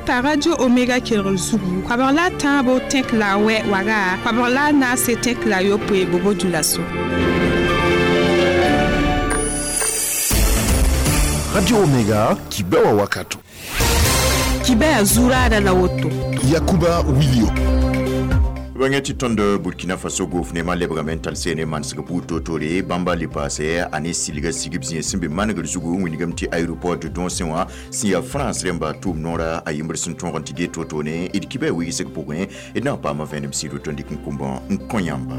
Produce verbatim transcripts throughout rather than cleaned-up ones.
T'a Radio Omega kelgr zugu koabg la a tãabo tẽk la a wɛ waga koabg la a naase tẽk la a yopoe bobo dulaso. Radio Omega kibewa wakato. Kibɛ zuraada la woto. Yakuba Wilio. Bãngẽ tɩ tõnd Burkina Faso gofnema lebgame n tall seene manesg buud toor-toore bãmba le paase a ne silga sigb zĩig sẽn be manegr zugu n wilgame tɩ aéroport de Donsẽ wã sẽn yaa France rẽmba tʋʋm noora a yembr sẽn tõog n tɩ get wotone d kibã wigsg pʋgẽ d na n paama vẽenem sɩd woto n dɩk n kʋmbã n kõ yãmba.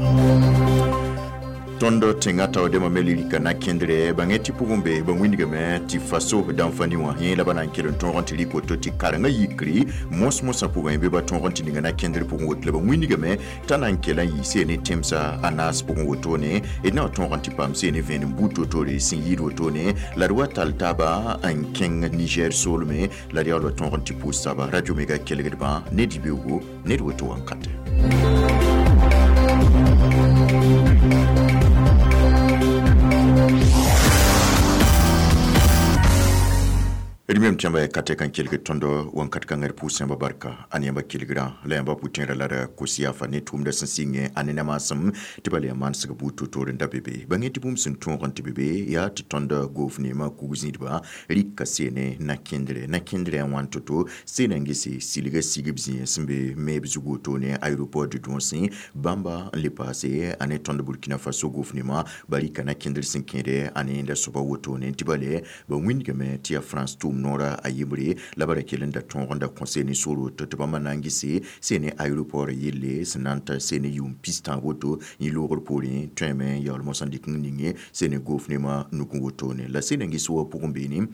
Tõnd tẽngã taoodemã me lirika na kẽndre bãngẽ tɩ pʋgẽ be ba wĩndgame tɩ faso dãnfani wã yẽ la ba na n kell n tõog n tɩ rɩk woto tɩ karengã yikri mos-mosã pʋgẽ bɩ ba tõog n tɩ ninga na kẽndr pʋgẽ woto la ba wĩndgame t'a na n kell n yɩ seene tẽmsã a naas pʋgẽ wotone d na n tõog n tɩ paam seene vẽenem buud toor-toore sẽn yɩɩd wotone la d wa tall taaba n kẽng Niger soolme la d yaool wa tõog n tɩ pʋʋs taaba. Radio Omega kelgdbã ne dɩ-beoogo ned woto wãnkate. D mem tɩ yãmba ya ka tɛk n kelgd tõndo wãnkat kãngã d pʋʋs yãmba barka a ne yãmba kelgrã la yãmba pʋ-tẽerã la d kos yaafa ne tʋʋmdã sẽn sɩngẽ a ne namaasem tɩ bala yaa manesg buud toor-toor n da be be bãngẽ tɩ bũmb sẽn tõog n tɩ be be yaa tɩ tõnd goofneemã kug-zĩidba rɩka seene na-kẽndrɛ na-kẽndrɛ a wãn to-to seena n gese silga sigb zĩig sẽn be meeb zug wotone aéroport de Donsẽ bãmba n le paase a ne tõnd Burkina Faso goofneemã ba rɩka na-kẽndr sẽn kẽede a ne yẽnda soaba wotone tɩ bale ba wĩndgame tɩ yaa France tʋʋm noora a yembre la ba ra kell n da tõog n da kõ seene soor woto tɩ bãmba na n gese seene aéroport yelle sẽn na n ta seene yʋʋm pistã woto yẽ loogr poorẽ tõeme n yaool mosã n dɩk n ninge seene goofneemã nugẽ wotone la seene n ges wa pʋgẽ beene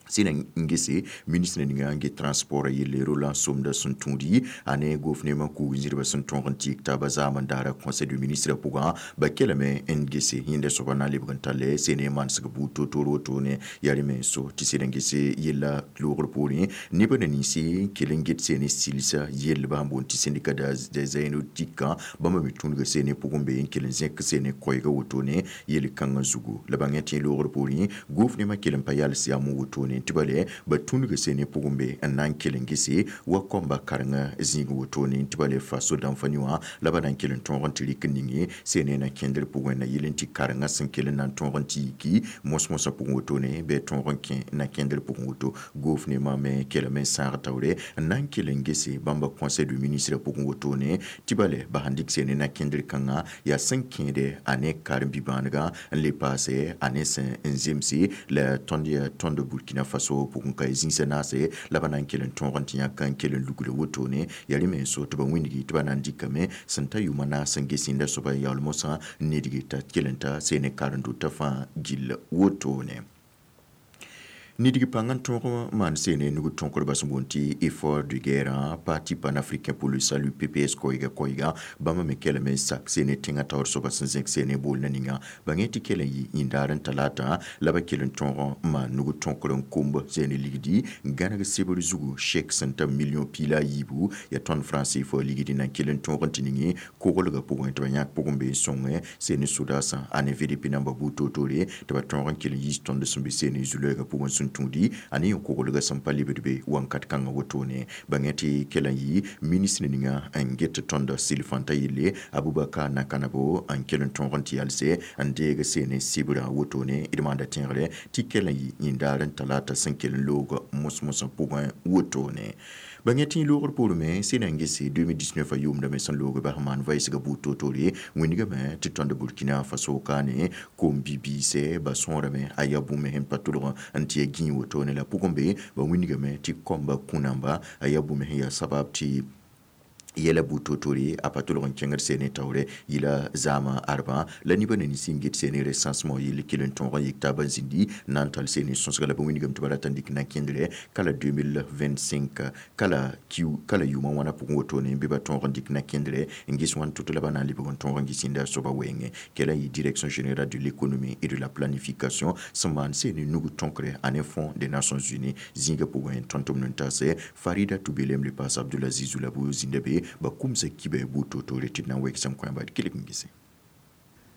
sẽn n gese ministre ninga n get transport yelle Roland Somda sẽn tũudi a ne gofneemã kug zĩdbã sẽn tõog n tɩk taaba zaam n daara conseil de ministre pʋgã ba kelame n gese yẽnda soaba na n lebg n talle seene manesg buud toor-toor wotone yaa rẽ me so tɩ sẽd n gese yella loogr poorẽ nebã na ninsi kell n get seene silsa yellba sẽn boond tɩ syndicat des aéronautiques bãmba me tũudga seene pʋgẽ be n kell n zẽk seene koɛɛga wotone yel-kãngã zugu la bãngẽ tɩ loogr poorẽ gofneemã kell n pa yals yam wotone tɩ bale ba tũudga seene pʋgẽ be n na n kell n gese wa kõmba karengã zĩig wotone tɩ bale faso dãnfani wã la ba na n kell n tõog n tɩ rɩk n ninge seene na kẽndr pʋgẽ na yel n tɩ karengã sẽn kell n na n tõog n tɩ yiki mos-mosã pʋgẽ wotone bɩ tõog n kẽ na kẽndr pʋgẽ woto goofneemã me kelame n sãag taoore n na n kell n gese bãmba conseil de ministre pʋgẽ wotone tɩ bale ba sãn dɩk seene na kẽndr kãngã yaa sẽn kẽede a ne karen-bi-bãanegã n le paase a ne sẽn n zemse la tõnd yaa tõnd Burkina Faso pʋgẽ ka zĩnsã naase la ba na n kell n tõog n tɩ yãk n kell n lugl wotone yaa rẽ me n so tɩ ba wĩndgi tɩ ba na n dɩkame sẽn ta yʋʋmã naas n ges yẽnda soaba yaool mosã n nedge t'a kell n ta seene karen-dotã fãa gill wotone. Nidg pãng n tõog maan seene nug tõkrba sẽn boond tɩ effort de guerre Parti panafricain pour le salut P P S koɛɛga koɛɛga bãmba me kelame n sak seene tẽngã taoor soaba sẽn zẽk seene boolna ninga bãngẽ tɩ kell n yɩ yĩndaar n talaata la ba kell n tõog n maan nug tõkr n komb seene ligdi n gãneg sebr zugu chèque sẽn ta million piila a yiibu yaa tõnd franc C F A ligdi na n kell n tõog n tɩ ninge koglgã pʋgẽ tɩ ba yãk pʋgẽ be n sõngẽ seene sodaasã a ne V D P namba buud toor-toore tɩ ba tõog n kell n yiis tõnd sẽn be seene zu-lɔɛɛgã pʋgẽ sẽn tũudi a ne yẽ koglgã sẽn pa lebd be wãnkat kãngã wotone bãngẽ tɩ kell n yɩ ministre ninga n get tõnd silfãntã yelle Abubakar Nakanabo n kell n tõog n tɩ yalse n deeg seene sɩbrã wotone d maanda tẽegre tɩ kell n yɩ yĩndaar n talaata sẽn kell n loog mos-mosã pʋgẽ wotone bãngẽ tɩ loogr poorẽ sẽn na n gese deux mille dix-neuf a yʋʋmdame sẽn loog bas maan vɛɛsgã buud toor-toore wĩndgame tɩ tõnd Burkina Faso kaane kom-bi-biise ba sõorame a yaa bũmb sẽn pa tʋlg n tɩ ya gĩig wotone la pʋgẽ be ba wĩndgame tɩ kõmba kũ-namba a yaa bũmb sẽn yaa sabab tɩ yɛla buud toor-toore a pa tʋlg n kẽngd seene taoore yɩla zaamã arbã la nebã na nins n get seene recensement yell kell n tõog n yik taabã zĩndi n na n tall seene sõsga la ba wĩndgame tɩ ba rata n dɩk na kẽndrɛ kala deux mille vingt-cinq kala kiu kala yʋʋmã wãna pʋgẽ wotone bɩ ba tõog n dɩk na kẽndrɛ n ges wãn tʋt la ba na n lebg n tõog n ges yẽnda soaba wɛɛngẽ kɛla n yɩ direction générale de l'économie et de la planification sẽn maan seene nug tõkre a ne Fonds des Nations Unies zĩigã pʋgẽ tõnd tʋmd n taase Farida Tubelem le paas Abdulaziz Zulabo zĩnda be ba kumsa kibɛ buud toor-toore tɩ d na n wɛgsem kõ yãmba d kelg n gese.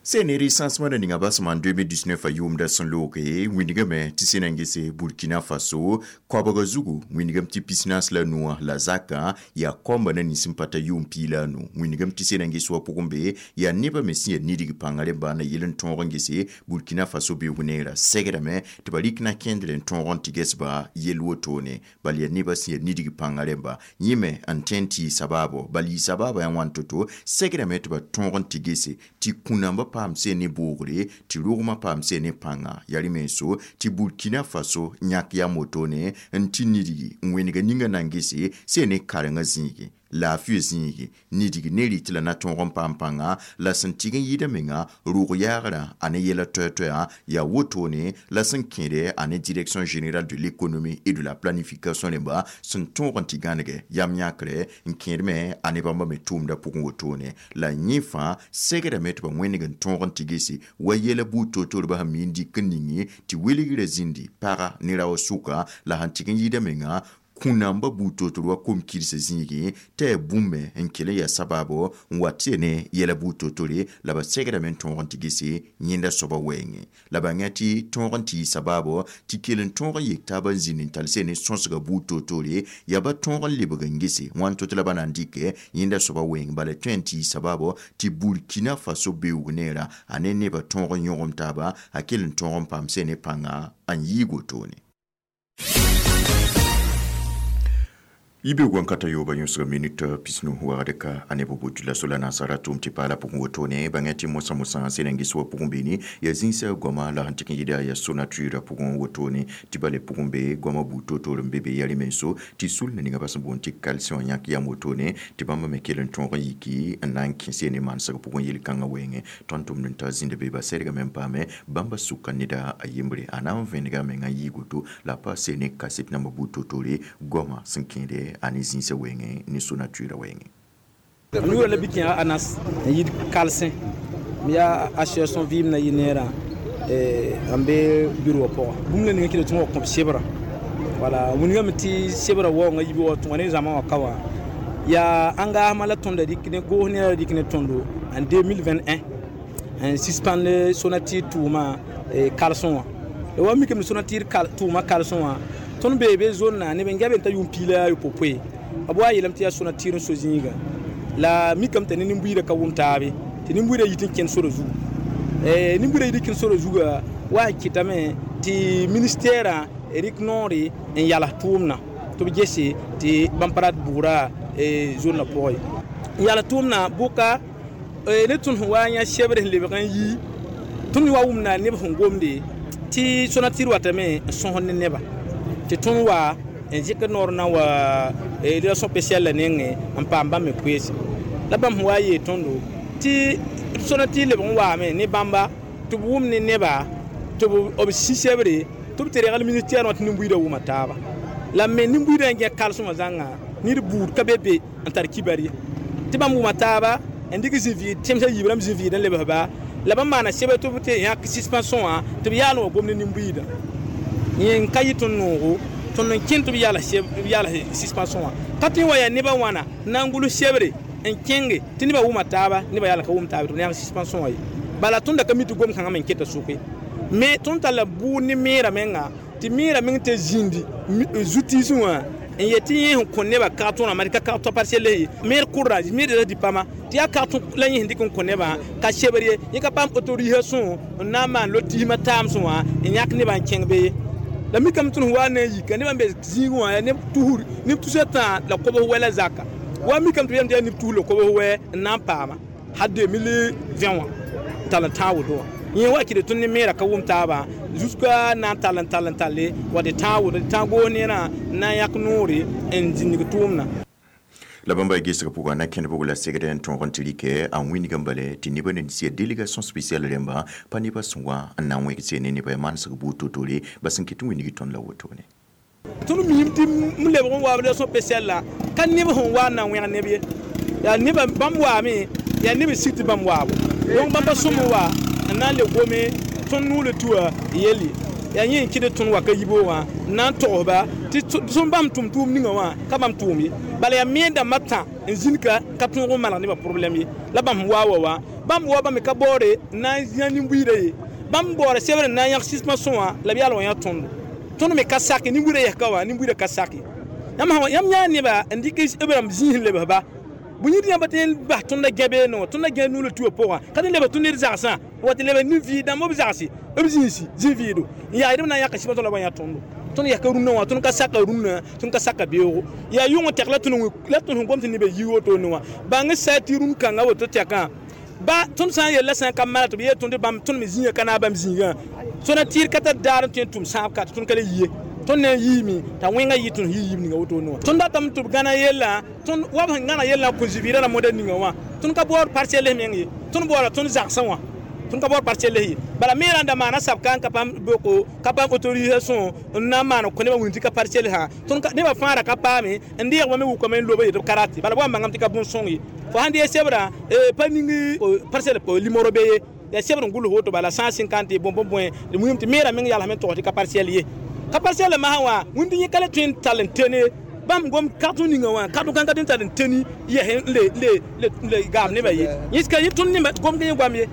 Sẽn recensement ninga basẽm en deux mille dix-neuf a yʋʋmda sẽn looge wĩndgame tɩ sẽn na n gese Burkina Faso koabga zugu wĩndgame tɩ pisnaas la nuwã la zakã yaa kɔmba na nins n pa ta yʋʋm pii la a nu wĩndgame tɩ sẽn na n ges wa pʋgẽ be yaa nebã me sẽn yaa nidg pãnga rẽmba na yel n tõog n gese Burkina Faso beoog neerã segdame tɩ ba rɩk na kẽndre n tõog n tɩ ges-ba yell wotone bal yaa nebã sẽn yaa nidg pãnga rẽmba yẽ me n tõe n tɩ yɩ sabaabo bal yɩ sabaabã yaa wãn to-to segdame tɩ ba tõog n tɩ gese tɩ kũnambã paam sẽn ne boogre tɩ rogmã paam sẽn ne pãnga yaa rẽ menso tɩ Burkina Faso yãk yam wotone n tɩ nidgi n wẽnega ninga na n gese sẽn ne karengã zĩigi laafɩ zĩigi nidg ne rɩt la na tõog n paam pãnga la sẽn tɩg n yɩɩda menga rʋg yaagrã a ne yɛla toɛ-toɛã yaa wotone la sẽn kẽede a ne Direction générale de l'économie et de la planification rẽmba sẽn tõog n tɩ gãnege yam yãkre n kẽed me a ne bãmba me tʋʋmda pʋgẽ wotone la yẽ fãa segdame tɩ ba wẽneg n tõog n tɩ gese wa yɛla buud toor-toorba sẽn mi n dɩk n ninge tɩ wilgrã zĩndi paga ne rao sʋka la sẽn tɩg n yɩɩda menga kũnamba buud toor-toor wa kom-kɩdsa zĩigẽ tɩ yaa bũmb me n kell n yaa sabaabo n wa tɩ ne yɛla buud toor-toore la ba segdame n tõog n tɩ gese yẽnda soaba wɛɛngẽ la bãnga tɩ tõog n tɩ yɩ sabaabo tɩ kell n tõog n yek taab n zĩnd n tall sẽn ne sõsga buud toor-toore yaa ba tõog n lebg n gese wãn to tɩ la ba na n dɩkɛ yẽnda soaba wɛɛng bala tõe n tɩ yɩ sabaabo tɩ Burkina Faso beoog neerã a ne nebã tõog n yõgem taaba a kell n tõog n paam sẽn ne pãnga n yiig wotone. Yibe wankata yoba yõsga minit pisnu wagd ka a neb buud la sola nansara tʋʋm tɩ paala pʋgẽ wotone bãngã tɩ mosã mosã sẽn n ges wa pʋgẽ beene yaa zĩnsã goama la sẽn tɩk n yɩɩda yaa Sonatur pʋgẽ wotone tɩ bale pʋgẽ be goama buud toor-toor n be be yaa rẽ menso tɩ sul na ninga bas n boond tɩ calcium yãk yam wotone tɩ bãmba me kell n tõog n yiki n na n kẽse ne mansg pʋgẽ yel-kãngã wɛɛngẽ tõnd tʋmd n ta zĩnda be ba sɛdgame n paame bãmba sʋka neda a yembre a na n vẽnega menga n yɩɩg woto la a pa se ne kaset namba buud toor-toore goama sẽn kẽede a ne zĩnsã wɛɛngẽ ne Sonatura wɛɛngẽ. Yʋʋra la bɩ kẽ anas n yɩɩd kalsẽ m yaa association vɩɩm na yɩ neerã n be bureau wã pʋga bũmb la ninga kɩ tɩ wa kõb sebrã wala wingame tɩ sebrã waoongã yiib wa tõga ne zãma wã ka wã yaa engagement la tõnda dɩk ne goos neerã dɩk ne tõndo en deux mille vingt et un n suspend Sonatir tʋʋma kalsẽ wã la wa mikame Sonatir tʋʋma kalsẽ wã tõnd bee be zone na neb n gɛbe n ta yʋʋm piig la yopoe b wa yeelame tɩ yaa Sonatir n so zĩiga la mikame t'a ne nin-buiidã ka wʋm taabe tɩ nin-buiidã yit n kẽnd sora zugu nin-buiidã yit n kẽnd sora zuga wa n kɩtame tɩ ministɛɛrã rɩk noore n yals tʋʋmdã tɩ b gese tɩ bãmb pa rat bʋʋra zonnã pʋgẽ n yals tʋʋmdã bʋka ne tõnd sẽn wa n yã sebre sẽn lebg n yi tõnd wa wʋmda neb sẽn gomde tɩ Sonatir watame n sõsd ne neba tɩ tõnd wa n zɩk noor na wa relation spéciale la nengẽ n paam bãmb me koeese la bãmb sẽn wa yeel tõndo tɩ Sonatir lebg n waame ne bãmba tɩ b wʋm ne neba tɩ b sĩ sebre tɩ b tɩ regl ministère wã tɩ nin-buiidã wʋma taaba la me nin-buiidã n gẽ kalsmã zãnga ned buud ka be be n tar kibar ye tɩ bãmb wʋma taaba n dɩk zĩ-vɩɩd tẽmsã yiib rãmb zĩ-vɩɩd n lebsba la bãmb maana sebr tɩ b tɩ yãk suspension wã tɩ b yaal n wa gom ne nin-buiidã yẽ n ka yɩ tõnd noogo tõnd n kẽnd tɩ b yaals suspension wã ka tõe n wa yaa nebã wãna n na n gʋls sebre n kẽnge tɩ nebã wʋma taaba nebã yaal n ka wʋm taaba tɩ b yãg suspension wã ye bala tõnd da ka mi tɩ gom kãngã me n keta sʋke me tõnd talla bʋʋd ne meerã menga tɩ meerã meng tɩ zĩndi zu-tiisẽ wã n yet tɩ yẽ sẽn kõ nebã kag-tõrã ma ka kag-tõ parcelle ye meer kʋrda meer dipama tɩ yaa kag la yẽ sẽn dɩk n kõ nebã ka sebr ye yẽ ka paam autorisation n na n maan lotismã taamsẽ wã n yãk nebã n kẽng be ye la mikame tõnd sẽn wa na n yika nebã n be zĩigẽ wã yaa neb tusr neb tusa tã la kobs wɛ la zaka wa mikame tɩ b yam tɩ yaa neb tus la kobs wɛ n na n paama ha deux mille vingt wã n tall n tãag woto wã yẽ wa kɩd tõnd ne meerã ka wʋm taabã jusqu'à na n tall n tall n talle wa tɩ tãag woto tɩ tãag goos neerã n na n yãk noore n zĩnig tʋʋmdã. La bãmba gesg pʋgã na kẽnd bg la segd n tõog n tɩ rɩkɛ a wĩndg n bale tɩ nebã ne sia délégation spéciale rẽmba pa nebã sẽn wa n na n wẽg ne nebã manesg buud to-tore ba sẽn kɩt n wĩndg tõnd la wotone. Tõnd miime tɩ m lebg n wa relation spéciale la ka neb sẽn wa n na n wẽg neb ye yaa nebã bãmb waame yaa neb n sig tɩ bãmb waabo donc bãmba sõm n wa n na n le gome tõnd nuule tʋa yelle yaa yẽ n kɩd tõnd wa ka yibo wã n na n togsba. Tɩ sẽn bãmb tʋm tʋʋm ninga wã ka bãmb tʋʋm ye bala yaa me dãmbã tã n zĩnd ka ka tõog n maneg nebã problɛm ye la bãmb wa wa wã bãmb wa bãmb ka baoore n na n yã nin-buiidã ye bãmb baoora sebr n na n yãg sɩsmã sõa la b yaal wã yã tõndo tõnd me ka sake nin-buiidã yɛs ka wã nin-buiidã ka sake yãmb yãmb yãa neba n dɩk b rãmb zĩis n lebs ba bõe yĩd yãmb tɩ n bas tõndã gã beene wã tõndã gã nuulã tuã pʋgã ka tɩ lebs tũ ned zagsã wa tɩ lebs nin-vɩɩd dãmb b zagse b zĩisi zĩ-vɩɩdo n yaa d b na n yãka sɩbã tõnd la b yã tõndo tõnd yaa ka rũnã wã tõnd ka saka rũnã tõnd ka saka beoogo yaa yʋng tɛk la tõnd la tõnd sẽn gom tɩ nebã yi wotone wã bãng sa tɩ rũn kãngã woto tɛkã ba tõnd sã n yella sã n ka mala tɩ b yeel tõnd bãmb tõnd me zĩigã ka naag bãmb zĩigã tõnd tɩɩr ka tar daar n tõe n tʋm sãab ka tɩ tõnd ka le yi ye tõnd na n yiime t'a wẽngã yɩ tõnd yɩ yiib ninga wotone wã tõnd datame tɩ b gãna yella tõnd wa b sẽn gãna yellã kõ-zivɩɩrã ra moda ninga wã tõnd ka baood parcelle meng ye tõnd baooda tõnd zagsã wã tõnd ka baood parcelle ye bala me rãnda maana sabka n ka paam boko ka paam autorisation n na n maan kõ nebã wĩnd tɩ ka parcelle sã tõnd nebã fãa ra ka paame n deegba me wʋkame n loba yetɩ b ka rate bala b wa n bãngame tɩ ka bõn-sõng ye fo sãn dee sebrã pa ning parcelle limoro be ye yaa sebr n gʋls woto bala cent cinquante bõn bõn bõe wĩm tɩ meerã meng yalsame n tog tɩ ka parcelle ye ka parcelle masã wã wĩnd yẽ ka le tõe n tall n tene bãmb gom kartõ ninga wã kartõ kãng ka tõe n tall n teni yɛs n le le gaab nebã ye yẽska yẽ tõnd nebã gomd yẽ goam ye.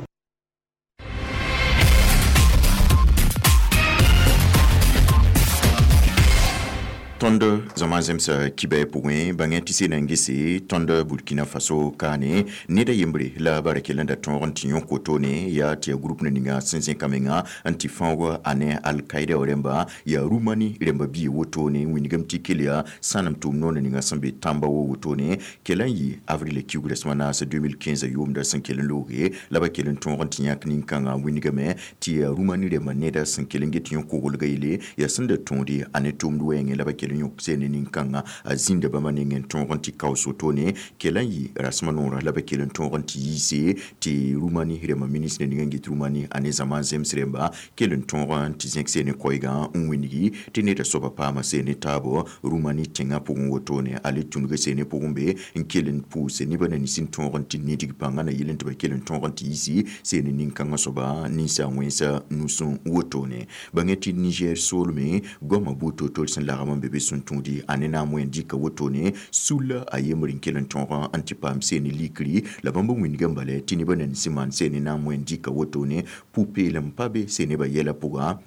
Tõnd zãma zemsa kibɛ pʋgẽ bãngẽ tɩ sena n gese tõnd Burkina Faso kaane ned a yembre la bara kell n da tõog n tɩ yõ kotone yaa tɩ yaa group ninga sẽn zẽka menga n tɩ fãoog a ne Al-Qaida rẽmba yaa Rumani rẽmba bia wotone wĩnigame tɩ kell yaa sãnem tʋʋm noor ninga sẽn be tãmba wa wotone kell n yɩ avril kiugrã sẽma naas deux mille quinze yʋʋmda sẽn kell n looge la ba kell n tõog n tɩ yãk nin-kãngã wĩnigame tɩ yaa Rumani rẽmba neda sẽn kell n get yõ koglga yele yaa sẽn da tõode a ne tʋʋmd wɛɛngẽ la ba kell yõk seene nin-kãngã a zĩnda bãmba nengẽ n tõog n tɩ kaoos wotone kell n yɩ rasmã noorã la ba kell n tõog n tɩ yiise tɩ Rumani rẽmba ministre ninga n get Rumani a ne zãma zems rẽmba kell n tõog n tɩ zẽk seene koɛɛgã n wĩngi tɩ neda soaba paama seene taabo Rumani tẽngã pʋgẽ wotone a le tũnug seene pʋgẽ be n kell n pʋʋse nebã na nins n tõog n tɩ nidg pãngã na yel n tɩ ba kell n tõog n tɩ yiisi seene nin-kãngã soaba ninsa wẽnsa nusẽ wotone bãngẽ tɩ Niger soolme goamã buud toor-toor sẽn lagm n be be sẽn tũudi a ne naam wẽn dɩka wotone sulla a yembr n kell n tõog n tɩ paam seene likri la bãmb wĩnigã n bala tɩ nebã na nins maan seene naam wẽn dɩka wotone pʋ-peelem pa be seenebã yɛla pʋga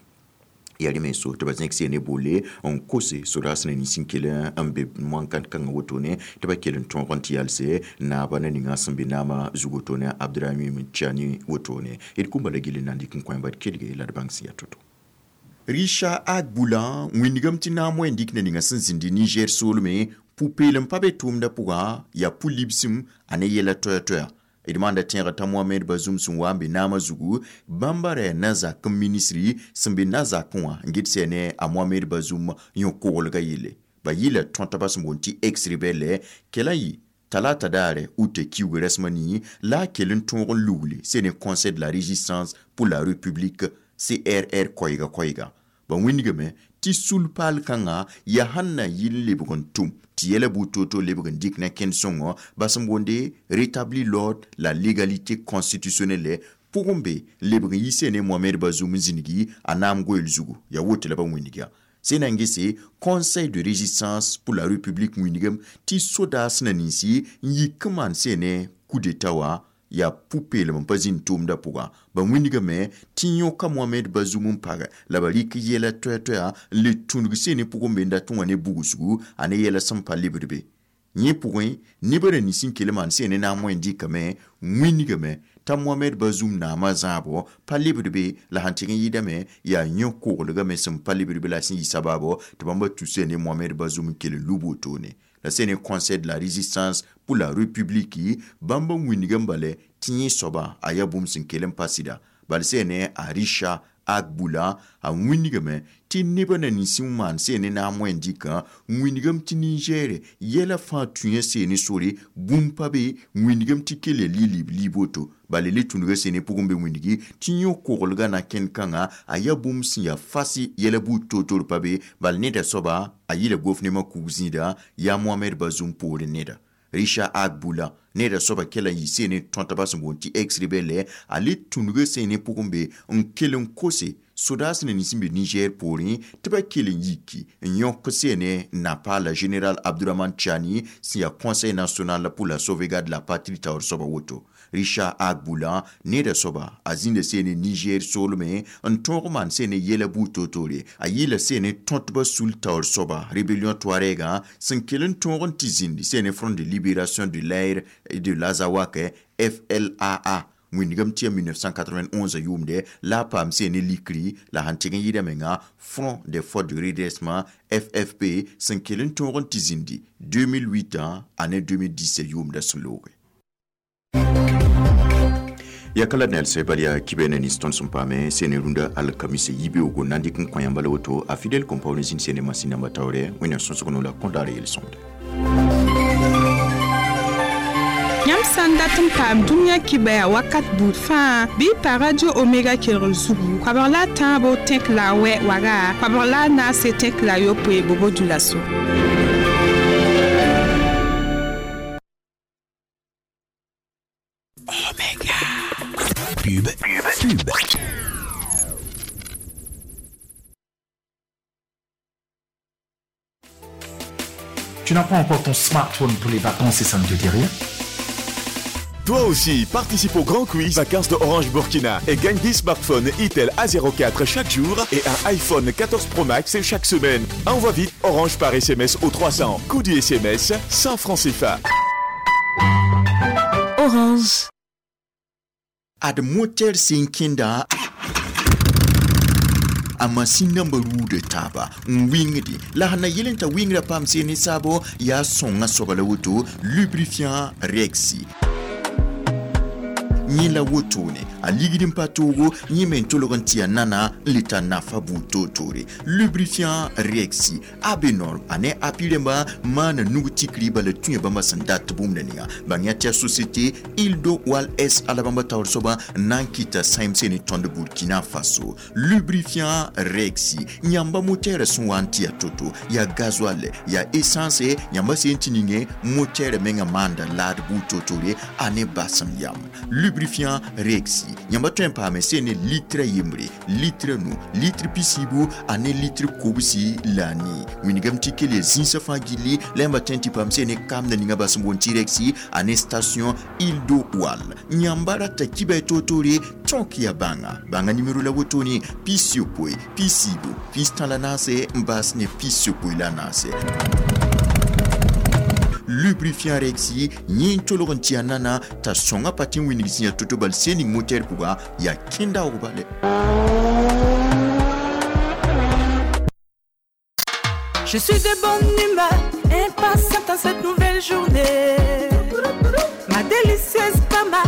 yaa rẽ me so tɩ ba zẽk seene boole n kose sodaas na nins n kell n be moan-kãn-kãngã wotone tɩ ba kell n tõog n tɩ yalse naaba na ninga sẽn be naamã zug wotone Abdramim Tchani wotone d kũmba la gill n na n dɩk n kõ bad kelge la d bãng sẽn yaa to-to. Richard Agboula wĩnigame tɩ naam wẽn dɩk na ninga sẽn zĩndi Niger soolme pʋ-peelem pa be tʋʋmdã pʋga yaa pʋ-libsem a ne yɛla toɛɛ-toɛa d maanda tẽega t'a Mohamed Bazoum sẽn wa n be naamã zugu bãmba ra yaa na-zakẽ ministri sẽn be na-zakẽ wã n get sɛ ne a Mohamed Bazoum yõ-koglgã yelle ba yɩla tõtba sẽn boond tɩ ex-rebelle kell n yɩ talata daare ute kiugu rasmã nii la a kell n tõog n lugle sene Conseil de la résistance pour la République C R R koɛɛga koɛɛga ba wĩnigame tɩ sul-paal kãngã yaa sẽn na yɩl n lebg n tʋm tɩ yɛla buud toor-toor lebg n dɩk na kẽnd sõngo ba sẽn boonde rétablir l'ordre la légalité constitutionnelle pʋgẽ be n lebg n yi sene Mohamed Bazoum n zĩnigi a naam goeel zugu yaa woto la ba wĩnigã sẽn na n gese Conseil de résistance pour la République wĩnigame tɩ sodaas na ninsi n yik n maan sene coup d'état wã yaa pʋ-peelem n pa zĩnd tʋʋmdã pʋga ba wĩnigame tɩ yõka Mohamed Bazoum n pag la ba rɩk yɛla toɛɛ-toɛa n le tũnug seene pʋgẽ be n dat n wa ne bugsgu a ne yɛla sẽn pa lebd be yẽ pʋgẽ nebã ra nins n kell maan seene naam wẽn dɩkame wĩnigame t'a Mohamed Bazoum naamã zãabo pa lebd be la sãn tɩg n yɩɩdame yaa yõ-koglgame sẽn pa lebd be la sẽn yɩ sabaabo tɩ bãmba tu seene Mohamed Bazoum n kell n lub wotone la sene Conseil de la résistance pour la République bãmba wĩnigã n bala tɩ yẽ soaba a yaa bũmb sẽn kell n pa sɩda bala sene a Richard Agboula a wĩnigame tɩ nebã na nins n maan seene naam wẽn dɩkã wĩnigame tɩ Niger yɛla fãa tũyã seene sore bũmb pa be wĩnigame tɩ kell yaa lɩ-lib liib woto bala le tũnuga seene pʋgẽ be wĩnigi tɩ yõ-koglgã na kẽnd kãngã a yaa bũmb sẽn yaa fas yɛla buud toor-toor pa be bala neda soaba a yɩla gofnemã kug zĩida yaa Mohamed Bazoum poorẽ neda Richard Agboula Neda soaba kela n yɩ sene tõtba sẽn boond tɩ ex-rebelle a le tũnugã sene pʋgẽ be n kell n kose sodaas ne nins n be Niger poorẽ tɩ ba kell n yiki n yõk sene napaala général Abdourahamane Tiani sẽn yaa Conseil national pour la sauvegarde de la patrie taoor soaba woto. Richard Agboulan neda soaba a zĩnda sene Niger soolmẽ n tõog maan sene yɛla buud toor-toore a yɩɩla sene tõtba sul taoor soaba rébellion touarega sẽn kell n tõog n tɩ zĩndi sene Front de libération de l'air et de l'Azawak F L A A wĩndgame tɩ ya mille neuf cent quatre-vingt-onze yʋʋmde la a paam sene likri la sãn tɩg n yɩɩda menga Front des forces de redressement F F P sẽn kell n tõog n tɩ zĩndi deux mille huit ane deux mille dix yʋʋmda sẽn looge ya kala nel se bal ya kibe ne nins tõnd sẽn paame sene rũndã alkamise yibeoogo na n dɩk n kõ yãmba la woto a fidèle compagnie zĩnd sene masĩn namba taoore wẽnnaam sõsg no la kõdaar yel-sõmde. Yãmb sã n dat n paam dũniyã kibaya wakat buud fãa bɩ y pa Radio Omega kelgr zugu koabg la a tãabo tẽk la a wɛ waga koabg la a naase tẽk la a yopoe bobo dulaso. Pub, pub. Tu n'as pas encore ton smartphone pour les vacances et ça ne te dit rien? Toi aussi, participe au grand quiz Vacances de Orange Burkina et gagne dix smartphones Itel A zéro quatre chaque jour et un iPhone quatorze Pro Max chaque semaine. Envoie vite Orange par S M S au trois cents. Coût du S M S, cent francs C F A. Orange. Ad moter sẽn kẽnda a masin namba ruuda taaba n wɩngde la sẽn na yel n t'a wɩngrã paam seen ne saabo yaa sõnga soaba la woto lubrifiant Rexy yẽ la wotone a ligd n pa toogo yẽ me n tolg n tɩ ya nana n le tar nafa buud toor-toore. Lubrifiant Rexy a be norm a ne api rẽmba maana nug tikri bala tũ bãmba sẽn dat bũmb la ninga bãng ya tɩ ya société Ildo Wal S ala bãmba taoor soaba n na n kɩta sãem sene tõnd Burkina Faso. Lubrifiant Rexy yãmba motɛɛrã sẽn wa n tɩ ya to-to yaa gasoil yaa essence yãmba sẽn tɩ ninge motɛɛrã menga maanda laad buud toor-toore a ne basem yam. Lubrifiant Rexy yãmba tõe n paame sẽn ne litrã yembre litrã nu litre pisiibu a ne litre kobsi la a nii wĩndgame tɩ kell ya zĩnsã fãa gilli la yãmba tõe n tɩ paam sẽn ne kamda ninga bas n boond tɩ Rexy a ne station Ildo Wal yãmba rata kibɛ toor-toore tõk ya bãnga bãnga nimero la wotone pis-yopoe pis-yiibu pis-tã la naase n baas ne pis-yopoe la naase. Lubrifiant Rexy yẽ n tolg n tɩ ya nana t'a sõnga pa tɩ n wĩndg sẽn ya to-to bal sẽn ning motɛɛr pʋga yaa kẽndaoog bale. Je suis de bonne humeur, impatiente en cette nouvelle journée. Ma délicieuse Pama.